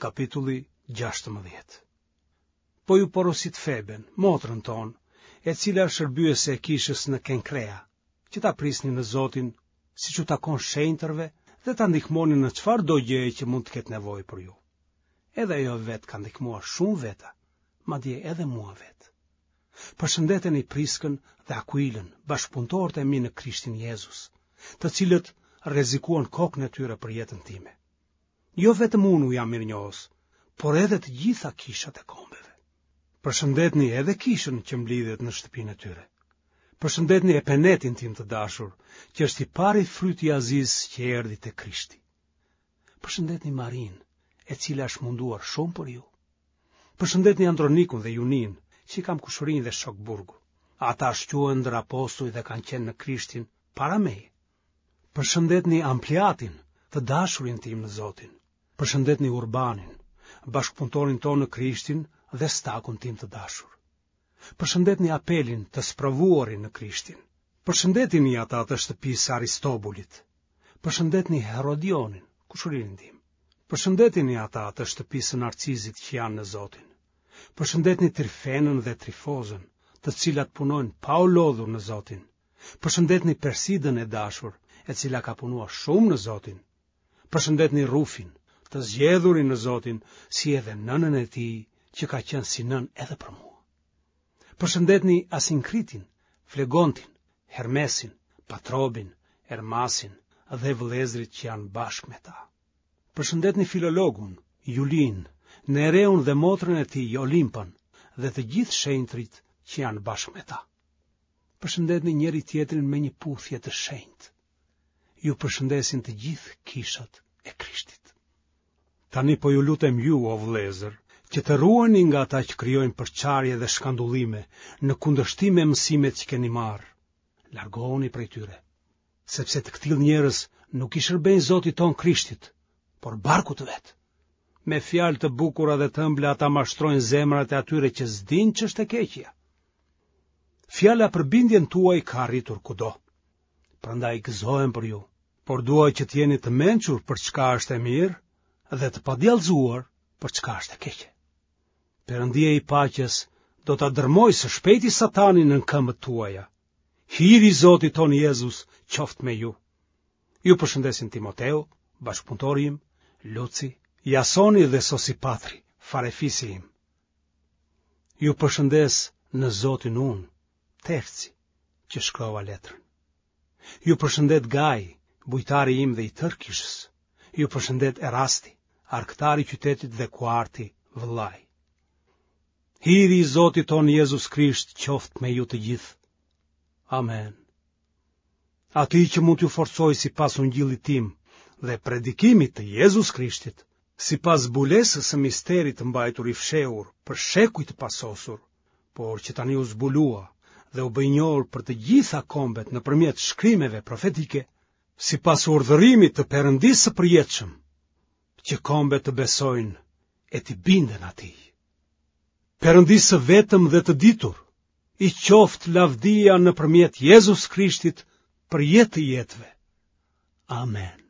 Kapitulli 16. Po ju porosit Feben, motrën tonë, e cila është shërbyese e kishës në Kenkrea, që ta prisni në Zotin, siç u takon shenjtërve dhe ta ndihmoni në çfarëdo gjëje që mund të ketë nevojë për ju. Edhe ajo vetë ka ndihmuar shumë veta, madje edhe mua vetë. Përshëndeteni Priskën dhe Akuilën, bashkëpunëtorët e mi në Krishtin Jezus, të cilët rrezikuan kokën e tyre për jetën time. Jo vetëm unë u jam mirënjohës, por edhe të gjitha kishat e kombeve. Përshëndetni edhe kishën që mblidhet në shtëpinë e tyre. Përshëndetni Epenetin tim të dashur, që është i pari fryt i Azisë që erdhi te Krishti. Përshëndetni Marinë, e cila është munduar shumë për ju. Përshëndetni Andronikun dhe Juninë, që i kam kushërinj dhe shokë burgu. Ata shquhen ndër apostuj dhe kanë qenë në Krishtin para meje. Përshëndetni Ampliatin, të dashurin tim në Zotin. Përshëndetni Urbanin, bashkëpunëtorin tonë në Krishtin dhe Stakun tim të dashur. Përshëndetni Apelin, të sprovuarin në Krishtin. Përshëndetini ata të shtëpisë së Aristobulit. Përshëndetni Herodionin, kushëririn tim. Përshëndetini ata të shtëpisë së Narcizit që janë në Zotin. Përshëndetni Trifenën dhe Trifozën, të cilat punojnë pa u lodhur në Zotin. Përshëndetni Persidën e dashur, e cila ka punuar shumë në Zotin. Përshëndetni Rufin, të zgjedhurin në Zotin, si edhe nënën e tij, që ka qenë si nënë edhe për mua. Përshëndetni Asinkritin, Flegontin, Hermesin, Patrobin, Hermasin dhe vëllezërit që janë bashkë me ta. Përshëndetni Filologun, Julinë, Nereun dhe motrën e tij Olimpën dhe të gjithë shenjtërit që janë bashkë me ta. Përshëndetni njëri-tjetrin me një puthje të shenjtë. Ju përshëndesin të gjithë kishat e Krishtit. Tani po ju lutem ju, o vëllezër, që të ruheni nga ata që krijojnë përçarje dhe shkandullime në kundërshtim me mësimet që keni marrë. Largohuni prej tyre, sepse të këtillë njerëz nuk i shërbejnë Zotit tonë Krishtit, por barkut të vet. Me fjalë të bukura dhe të ëmbla ata mashtrojnë zemrat e atyre që s'dinë ç'është e keqja. Fjala për bindjen tuaj ka arritur kudo. Prandaj gëzohem për ju, por dua që të jeni të mençur për çka është e mirë dhe të padjallëzuar për çka është e keqe. Perëndia i paqes do ta dërmojë së shpejti Satanin nën këmbët tuaja. Hiri i Zotit tonë Jezus qoftë me ju. Ju përshëndesin Timoteu, bashkëpunëtori im, Luci, Jasoni dhe Sosipatri, farefisi im. Ju përshëndes në Zotin unë, Terci, që shkrova letrën. Ju përshëndet Gaj, bujtari im dhe i tërë kishës. Ju përshëndet Erasti, arkëtari i qytetit dhe Kuarti, vëllai. Hiri i Zotit tonë Jezus Krisht qoftë me ju të gjithë. Amen. Atij që mund t'ju forcojë sipas ungjillit tim dhe predikimit të Jezus Krishtit, sipas zbulesës së misterit të mbajtur i fshehur për shekuj të pasosur, por që tani u zbulua dhe u bë i njohur për të gjitha kombet nëpërmjet shkrimeve profetike, sipas urdhërimit të Perëndisë së përjetshëm, që kombet të besojnë e t'i binden atij. Perëndisë së vetëm dhe të ditur, i qoftë lavdia nëpërmjet Jezus Krishtit për jetë të jetëve. Amen.